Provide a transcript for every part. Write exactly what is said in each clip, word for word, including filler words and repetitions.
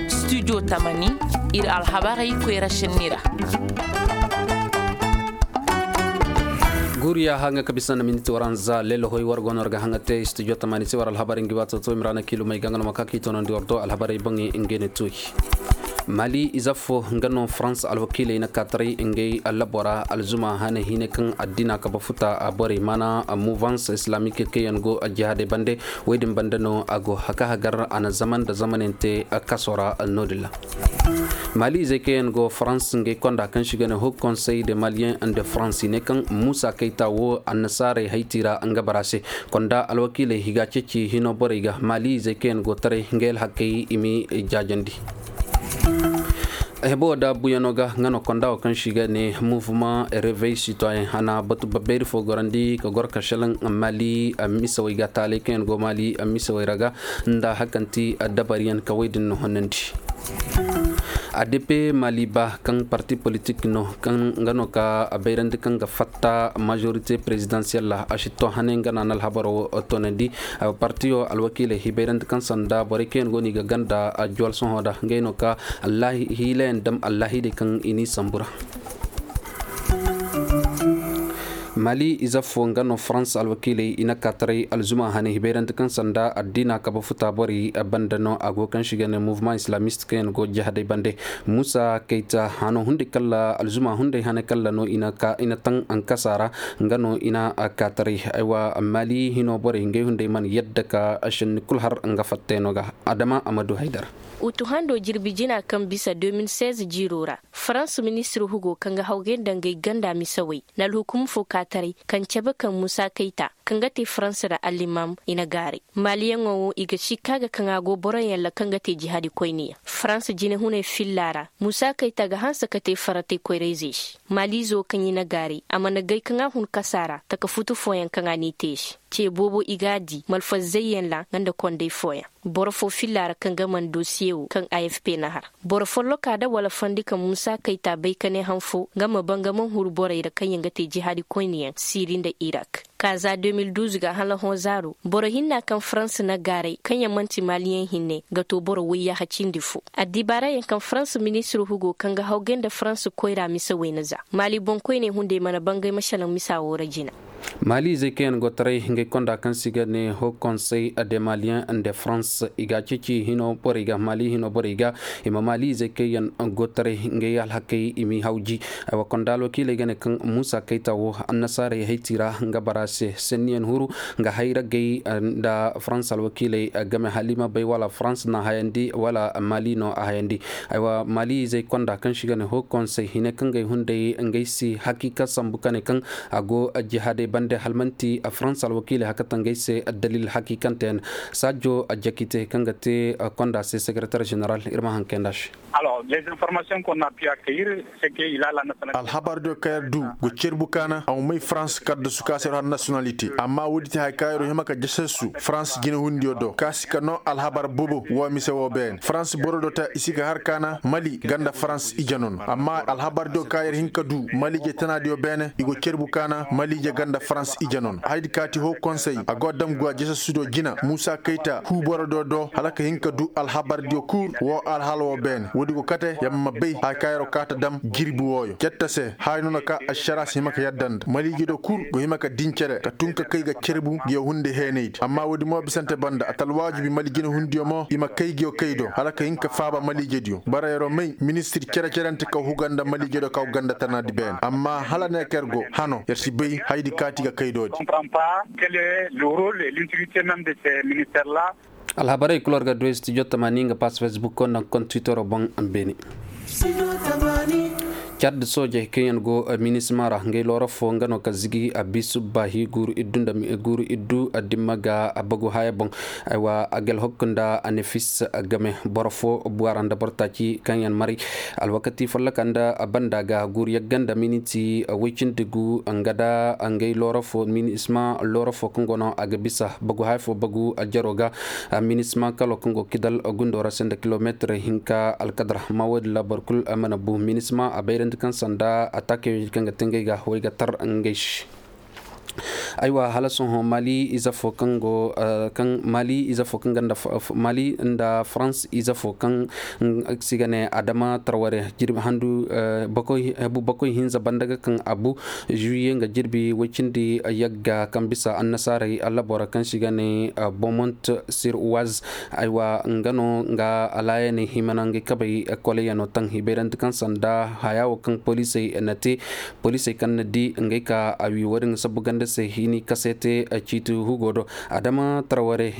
Studio tamani, iri alhabarey koyra senni ra. Guuriya hanga ka bisa nda minti waranza lelo hoy war gono ga hanga te studio tamani se war alhabarey ngi wato to imrana kilo mai gangano maka ki tono ndi wardo alhabarey bangi ngene toy. Mali iza fo nga no France alwakiley na kataray ngey labora alzuma hane hine kan addina ka bafuta a borey mana mouvance islamique kayan go jihadey bande. Waydin banda no a go haka hagar a na zaman da zamanante kasora nodilla. Mali izey kayan go france ngey konda kan shiga ne ho conseil de malien de france ne kan musa kayta wo annasaray haytira nga barase konda alwakiley higa ceci hino borey ga mali izey kayan go taray ngey alhakay imi jajandi. Hebo da buyano ga nga no konda wo kan shiga ne mouvement réveil citoyen hana batu babbeeri fo gorandi ka gor ka shalaŋ mali misawey ga taalay kaŋ yaŋ go mali misawey ra ga nda hakanti dabariyaŋ ka wey din no honnandi. A d p mali ba kaŋ parti politik no kaŋ nga no ka bayrandi kaŋ ga fatta majorité présidentielle a si to hane nga na alhabaro tonandi. Partiyo alwakiiley hibayrandi kaŋ sanda borey kaŋ yaŋ go no i ga ganda juwal sohõ da ngey no ka hiilayaŋ dam allahidey kaŋ i n'i sambu ra. Mali ize fo nga no farans alwakiiley i na ka taray alzuma hane hibayrandi kaŋ sanda addiina kabe futa borey banda no a go kaŋ si ga ne mouvement islamiste kaŋ yaŋ go jihadey bande. Musa kayta hano hunday kala alzuma hunday hane kala no i na taŋ ankasa ra. Nga no i na ka taray aywa mali hino borey ngey hunday mana yadda ka senni kulu har nga fattayno ga. Adama amadu haydara. Utu hando jirbi jina kaŋ bisa deux mille seize jiiro ra farans ministir hugo kaŋ ga hawgay nda ngey ganda misawey na alhukum fo ka taray kaŋ cabe kaŋ musa kayta kaŋ ga te farans ra allimam i na gaaray. Maaliyaŋo wo i ga sikka ga kaŋ a go boroyaŋ ra kaŋ ga te jihaadi koyne yaŋ farans jinehunay filla ra. Musa kayta ga hanse ka te faratay koyrayzey se maaliizo kaŋ i na gaaray a mana gay kaŋ a hun kasa ra taka futu fooyaŋ kaŋ a n'i te se. Ce boobo i g'a di malfazayyaŋ ra nga nda konday fooyaŋ. Boro fo filla ra kaŋ ga mana dosiye wo kaŋ afp na har boro folloka da wala fandi kaŋ musa kayta bay ka ne han fo nga ma banga man huru borey ra kaŋ yaŋ ga te jihaadi koyne yaŋ siri nda irak. Ka za deux mille douze ga hala hõ zaaro boro hinna kaŋ farans na gaaray kaŋ yaŋ manti maaliyaŋ hinne ga to boro wayyaaha cindi fo. Addibaarayaŋ kaŋ farans ministir hugo kaŋ ga hawgay nda farans koyra mise wayna za maali boŋkoyney hunday mana bangay ma salaŋ misa wo ra jina. Maali izey kaŋ yaŋ go taray ngey konda kaŋ se i ga ne ho konsey de maliyaŋ nda farans i ga a ceeci hino borey ga maali hino borey ga i ma maali izey kaŋ yaŋ go taray ngey alhakey i m'i hawji. Aywa konda alwakiiley ga ne kaŋ muusa kayta wo annasaarey hayti ra nga bara se senniyaŋ huru nga hayra gay nda farans alwakiiley game hala i ma bay wala farans no a hayandi wala maali no a hayandi. Aywa maali izey konda kaŋ se i ga ne ho konsey hine kaŋ ga ay hunday ngey si hakiika sambu ka ne kaŋ a go jihaadey bande hala manti farans alwakiiley hakatangey se. Dalil hakiikante yaŋ saajo jakite kaŋ ga te konda se sekretar jeneral iri ma haŋ kaynd'a se. Alhabar diyo kaŋ yar du go cerbu kaana a ma may farans kaddasu ka se iri har nasiyonalite amma woodi te hari kaŋ yar hima ka jasasu farans jinehundiyo do kaasi ka no alhabar boobo wo mise wo beene farans boro do ta i si ga har kaana mali ganda farans ije no no amma alhabar diyo kaŋ yar hin ka du mali ije tana diyo beene i go cerbu kaana mali ije ganda farans ije no no haydi kaati ho konsey a go dam guwa jasasu do jina muusa kayta hu boro do do hala ka hin ka du alhabar diyo kul wo alhala wo beene woodi go kate yamma bay hari kaŋ yar wo kaata dam jirbi wooyo cetta se haray no no ka ašara si hima ka yadda nda mali ije do kul go hima ka din cere ka tun ka kay ga cerbu ngiyo hunde heenaydi amma woodi mo bisante banda a ta alwaajibi mali jinehundiyo mo i ma kay ngiyo kay do hala ka hin ka faaba mali ije diyo bara yar wo may ministir cere-cerante kaŋ huga nda mali ije do kaŋ go ganda tana di beene amma hala ne kaŋ yar go hano yar si bay haydi kaati ga kay do di. Alhabarey kulu war ga du ay studio tamani nga pass facebook ko nda konda twittero boŋ. Beene cad soojey kaŋ yaŋ go minisma ra ngey looro fo nga no ka zigi a bisu baahi guuru iddu nda guuru iddu dimma ga bagu haya boŋ. Aywa a gel hokku nda a ne fis game boro fo buwara nda boro taaci kaŋ yaŋ maray alwakati folloka nda banda ga guuru yagga nda miniti woy cindi gu nga da ngey looro fo minisma looro fo kaŋ go no a ga bisa bagu haya fo bagu jaro ga. Minisma kalo kaŋ go kidal gundo ra se nda kilomeetir hinka alkadra ma wo- din ra boro kulu mana bu minisma a bayrandi kaŋ sanda a taakey kaŋ ga te ngey ga wo- i ga tar ngey se. Aywa, hala sohõ mali ize fo kaŋ go kaŋ mali ize fo kaŋ ganda mali nda farans ize fo kaŋ si ga ne adama tarware jirbi handu bakoy hinza banda ga kaŋ abu juye nga jirbi way cindi yagga kaŋ bisa annasaaray allabora kaŋ si ga ne bomont sir waz. Aywa, nga no nga alaayaney himana ngey kabay kolayano taŋ i bayrandi kaŋ sanda haya wo kaŋ poliisey na te poliisey kaŋ na di ngey ka a wi wo- din ga sabbu ganda se hini kaseete ciiti hugo do adama taraware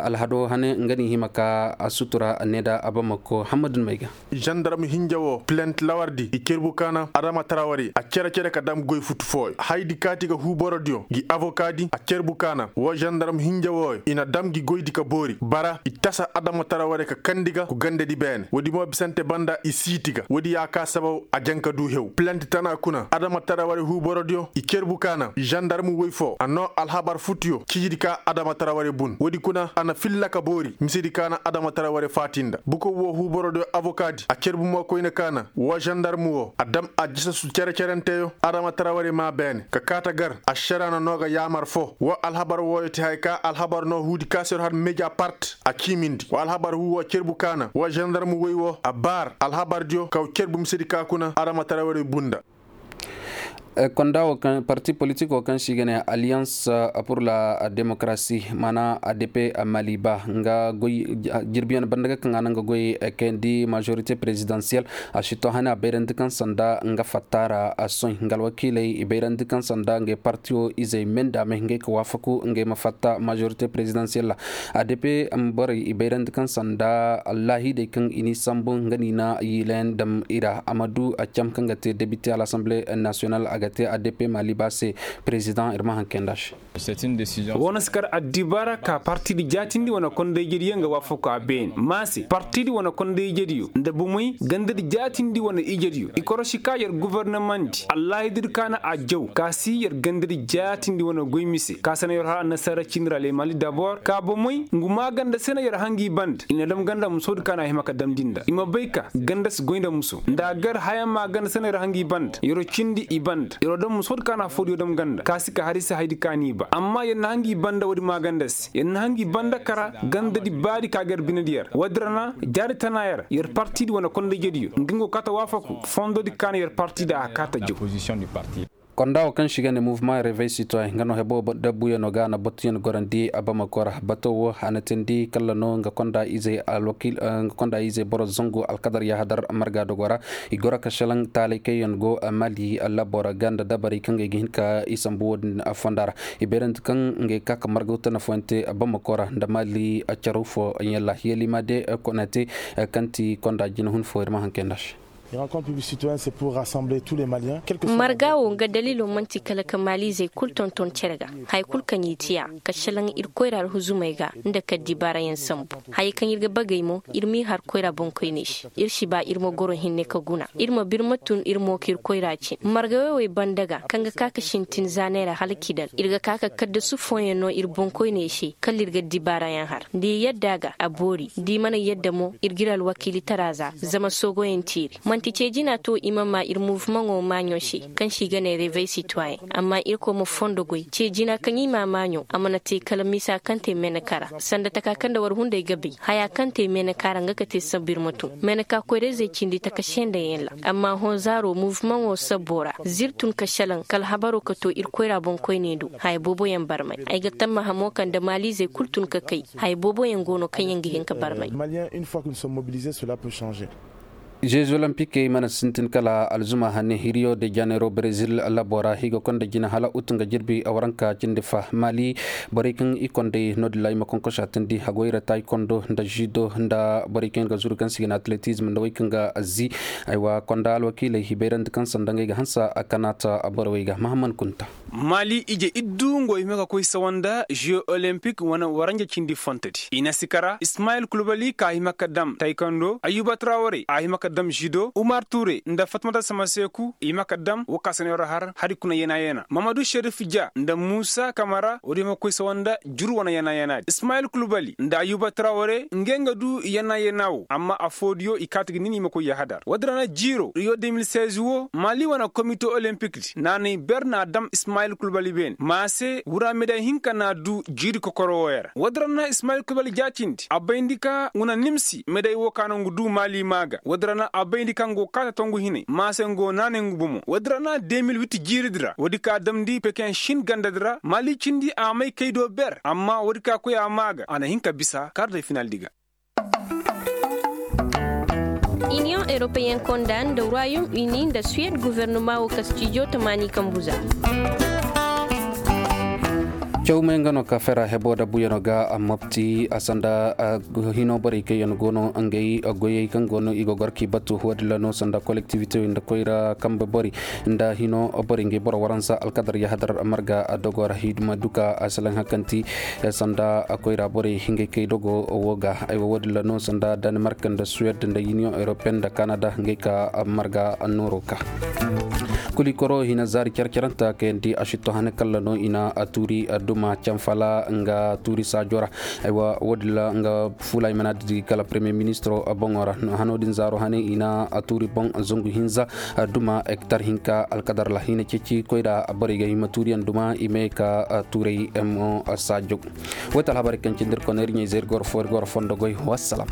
alhado hane nga ni hima ka a sutura ne da abamako hammadu may ga. Zandarm hinja wo plent lawardi i cerbu kaana adama taraware a cere cere ka dam goy futu fooyo haydi kaati ga huuborodiyo gi avokaadi a cerbu kaana wo zandarm hinja wooyo i na dam gi goydi ka boori bara i tasa adama taraware ka kandi ga ku gandadi beene woodi mo bisante banda i siiti ga woodi ya ka sabaw a jaŋ ka du hew plent tana kuna adama taraware huuborodiyo i cerbu kaana zandarm woy fo a noo alhabar futuyo ciijidi ka adama taraware bun woodi kuna a na filla ka boori misedi kaana adama taraware faati nda bukow wo huuborodiyo avokaadi a cerbu mo koyne kaana wo zandarm wo a dam a jisa su cere-cerenteyo adama taraware maa beene ka kaata gar ašara na noo ga yaamar fo wo alhabar wooyo ti haya ka alhabar noo huudi kaasiro har meja part a ciimindi wo alhabar huu wo cerbu kaana wo zandarm woy wo a baar alhabardiyo kaw cerbu misedi ka kuna adama taraware bunda. Konda wo kaŋ parti politik wo kaŋ se i ga ne alliance pour la démocratie maana adp maliba nga goy jirbiyaŋ banda ga kaŋ a naŋ ga goy kayandi majorité présidentielle a si to hane a bayrandi kaŋ sanda nga fatta ra a soy nga alwakiiley i bayrandi kaŋ sanda ngey parti wo izey me nda me ngey ka waafaku ngey ma fatta majorité présidentielle ra. Adp borey i bayrandi kaŋ sanda allaahidey kaŋ i n'i sambu nga n'i na yiilayaŋ dam i ra a ma du a cam kaŋ ga te debite à l'assemblée nationale a ga te adp maliba se. Président iri ma haŋ kayandi a se. Wo- no si kar addibaara ka partidi jaatindi wane kondayjediyo nga waafaku a beene ma se partidi wane kondayjediyo nda bomey gandadi jaatindi wane ijediyo i korosi ka yer gobornomandi allaahididi kaana a jaw ka si yer gandadi jaatindi wane goy mise ka se no yer har annasaara ciini ra le mali dabor ka bomey ngu maaganda se no yer hangi banda i na dam ganda musoodi kaana a hima ka damndi nda i ma bay ka ganda si goy nda muso nda a gar hayaŋ maaganda se no yer hangi banda yero cindi i banda yero dam musoodi kaana foodiyo dam ganda ka si ka hari se haydi kaani i ba amma yer na hangi banda woodi maaganda se yer na hangi banda kara gandadi baadi ka gar binedi yer woodi ra na jaari tana yer yer partidi wane kondayjediyo nga nga go kaata waafaku fondodi kaana yer partida a kaata jaw. Konda wo kaŋ se i ga ne mouvement réveil citoyen nga no hebo dabbuyaŋo ga a na batuyaŋ gorandi a bamako ra bato wo a na teendi kala no nga konda izey boro zangu alkadar yahadar marga dogo ra. I goro ka selaŋ taalay kaŋ yaŋ go mali labo ra ga nda dabarey kaŋ ga ay ga hin ka i sambu wo- din fonda ra. I bayrandi kaŋ ngey ka ka margaw tana fooyaŋ te bamako ra nda mali caraw fo yalla yalima de konate kaŋ ti konda jina hun fo iri ma haŋ kayndi a se. Marga wo nga daliilo manti kala ka maaliizey kulu tonton cere ga hari kulu kaŋ i tiya ka selaŋ iri koyra alhuzumey ga nda ka dibaarayaŋ sambu. Hayey kaŋ iri ga bagey mo iri m'i har koyra boŋkoyney se iri si ba iri ma goro hinne ka guna iri ma birma tun iri mo ka iri koyra cin marga wey wey banda ga kaŋ ga ka ka sintin zaaney ra hala kidal iri ga ka ka kaddasu fooyaŋ no iri boŋkoyney se kala iri ga dibaarayaŋ har da i yadda ga a boori da i mana yadda mo iri ga iri alwakiilitara za zama soogoyaŋ teeri manti ce jina to i ma ma iri muvumaŋo maaɲo se kaŋ se i ga ne revey sitwayen amma irkoy ma fondo goy ce jina kaŋ i ma maaɲo a mana te kala misa kaŋ te meneka ra sanda taka kaŋ nda war hunday ga bay haya kaŋ te meneka ra nga ga te sabbu iri ma tun meneka koyrayzey cindi taka se nda yaŋ ra amma hõ zaaro muvumaŋo sabbo ra z'iri tun ka selaŋ kala habaro ka to iri koyra boŋkoyney do haya boobo yaŋ barmay ay ga tammaha mo kaŋ nda maaliizey kulu tun ka kay haya boobo yaŋ go no kaŋ yaŋ ga hin ka barmay. Maliens une fois que nous sommes mobilisés cela peut changer. Jeux olympiques mana sintin kala alzuma hane rio de janeiro brezil labo ra i ga konda jina hala utu nga jirbi waranka cindi fa mali borey kaŋ i konday no- din ra i ma konkosa tindi hagoyra taekwondo nda judo nda borey kaŋ ga zuru kaŋ si ga ne atletism nda wey kaŋ ga zi. Aywa konda alwakiiley i bayrandi kaŋ sanda ngey ga hansa a kanaata borey ga mahamman kunta. Mali ije iddu ngo hima ka koy sawa nda jeux olympique wane waranja cindi fontodi i na si kara ismayil kulbali ka hima ka dam taekwondo ayuba traware a hima ka dam judo umar ture nda fatmata samaseku i hima ka dam wo ka sanayo ra har hari kuna yana yana mamadu sherif ja nda musa kamara wo- din hima ka koy sawa nda juru wane yana yana di ismayil kulbali nda ayuba traware ngey nga du yana yana wo amma afo diyo i kaati ga nin i ma koy yahadar wo- din ra na jiiro rio deux mille seize wo mali wane komite olympique di naanay ber na dam ismayil Ismail Kulbali beene maase wura meday hinka n'a du jiiri kokoro wooyaŋ ra. Woodin ra no ismail kulbali jaacindi a bayndi ka nga na nimsi meday wo ka no nga du maali maa ga. Woodin ra no a bayndi ka nga go kaata tongu hinay maase nga go naanay nga bomo. Woodin ra no a de mil witti jiiri din ra woodin ka a damndi pekin shin ganda din ra maali cindi a may kay do ber amma woodin ka koy a maa ga a na hin ka bisa kaara day final di ga. Iniyoŋ europeen konda nda ruwayom uni nda suwed guvernoma wo kastijo tamaani kambu za. Caw may nga no ka fera hebo da buyano ga a mopti a sanda hino borey kaŋ yaŋ go no ngey goyey kaŋ go no i ga goro k'i batu wo- din ra no sanda kolektivite nda koyra kambe borey nda hino borey ngey boro waransa alkadar yahadar marga dogo ra hidima duka a salaŋ hakanti sanda koyra borey ngey kay dogo wo ga ay wo- din ra no sanda danimark nda suwed nda union europeen nda kanada ngey ka marga nooro ka. Kuli koro hina zaari care caranta kayandi a shitto hane kalla no i na a tuuri a duma canfala nga tuuri saajo ra. Aywa wo- din ra nga fuula i mana didi kala premier ministro boŋo ra. Hano din zaaro hane i na a tuuri boŋ zangu hinza a duma hektar hinka alkadar ra hina ceeci koy ra borey ga hima tuuriyaŋ duma i may ka tuuray mo saajo. Wo ti alhabarey kaŋ cindi iri kone iri ɲayze iri goro fo iri goro fondo goy wassalam.